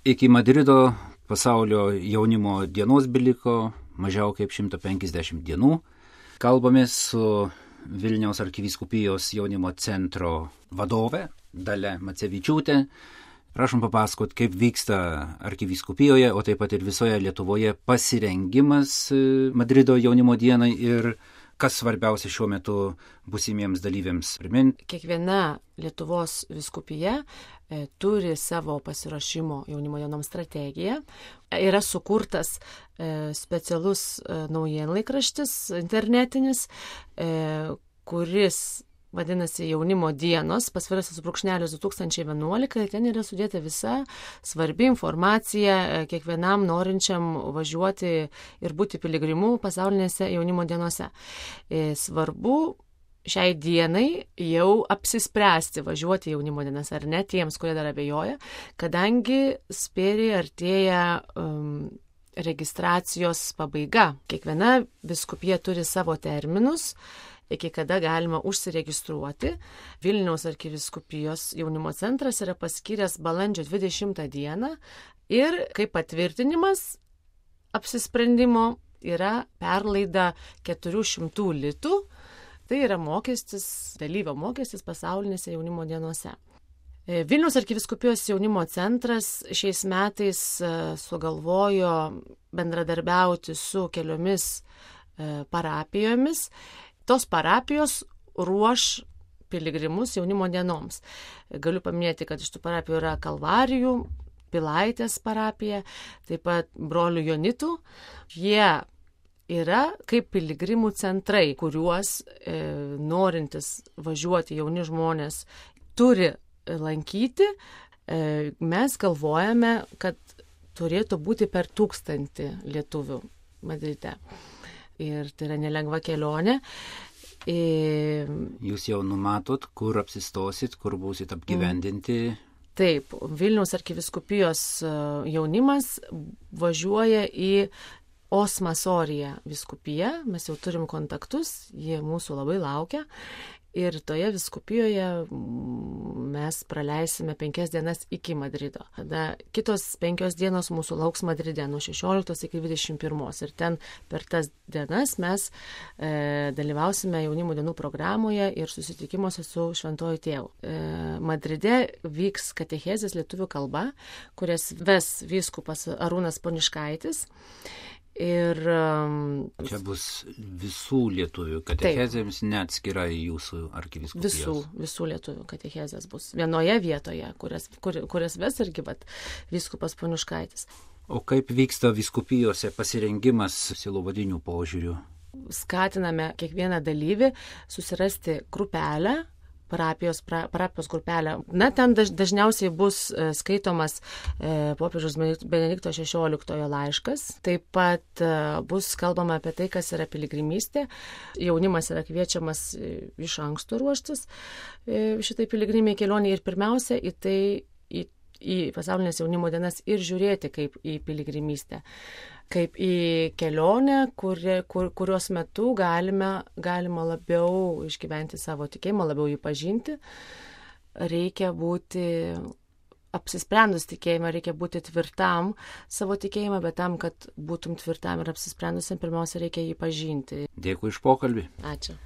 Iki Madrido pasaulio jaunimo dienos beliko mažiau kaip 150 dienų. Kalbamės su Vilniaus arkivyskupijos jaunimo centro vadove Dalia Macevičiūtė. Prašom papasakot, kaip vyksta arkivyskupijoje, o taip pat ir visoje Lietuvoje pasirengimas Madrido jaunimo dienai ir kas svarbiausia šiuo metu būsimiems dalyviams priminti. Kiekviena Lietuvos vyskupija turi savo pasiruošimo jaunimo dienom strategiją. Yra sukurtas specialus naujienlaikraštis internetinis, kuris vadinasi Jaunimo dienos, pasvirasis brūkšnelis 2011, ten yra sudėta visa svarbi informacija kiekvienam norinčiam važiuoti ir būti piligrimu pasaulinėse jaunimo dienose. Svarbu šiai dienai jau apsispręsti važiuoti jaunimo dienas ar ne tiems, kurie dar abejoja, kadangi spėriai artėja registracijos pabaiga. Kiekviena vyskupija turi savo terminus, iki kada galima užsiregistruoti. Vilniaus arkivyskupijos jaunimo centras yra paskyręs balandžio 20 dieną ir kaip patvirtinimas apsisprendimo yra perlaida 400 litų. Tai yra mokestis, dalyvio mokestis pasaulinėse jaunimo dienose. Vilniaus arkivyskupijos jaunimo centras šiais metais sugalvojo bendradarbiauti su keliomis parapijomis. Tos parapijos ruoš piligrimus jaunimo dienoms. Galiu paminėti, kad iš tų parapijų yra Kalvarijų, Pilaitės parapija, taip pat brolių Jonitų. Jie yra kaip piligrimų centrai, kuriuos norintis važiuoti jauni žmonės turi lankyti. Mes galvojame, kad turėtų būti per 1000 lietuvių Madride. Ir tai yra nelengva kelionė. Jūs jau numatot, kur apsistosit, kur būsit apgyvendinti? Taip, Vilniaus arkivyskupijos jaunimas važiuoja į Osmasoriją vyskupiją. Mes jau turim kontaktus, jie mūsų labai laukia. Ir toje vyskupijoje mes praleisime 5 dienas iki Madrido. Tada kitos 5 dienos mūsų lauks Madride nuo 16 iki 21. Ir ten per tas dienas mes dalyvausime jaunimo dienų programoje ir susitikimuose su Šventuoju Tėvu. Madride vyks katechezės lietuvių kalba, kurias ves vyskupas Arūnas Poniškaitis. Ir čia bus visų lietuvių katechezėms, neatskirai jūsų arkivyskupijos. Visų lietuvių katechezės bus vienoje vietoje, kurias ves irgi vyskupas Poniškaitis. O kaip vyksta vyskupijose pasirengimas sielovadinių požiūrių? Skatiname kiekvieną dalyvį susirasti grupelę, parapijos grupelę. Na, ten dažniausiai bus skaitomas popiežiaus Benedikto XVI laiškas. Taip pat bus kalbama apie tai, kas yra piligrimystė. Jaunimas yra kviečiamas iš anksto ruoštis šitai piligriminiai kelioniai ir pirmiausia į pasaulinės jaunimo dienas ir žiūrėti kaip į piligrimystę. Kaip į kelionę, kurios metu galima labiau išgyventi savo tikėjimą, labiau jį pažinti. Reikia būti apsisprendus tikėjimą, reikia būti tvirtam savo tikėjimą, bet tam, kad būtum tvirtam ir apsisprendusiam, pirmiausia, reikia jį pažinti. Dėkui už pokalbį. Ačiū.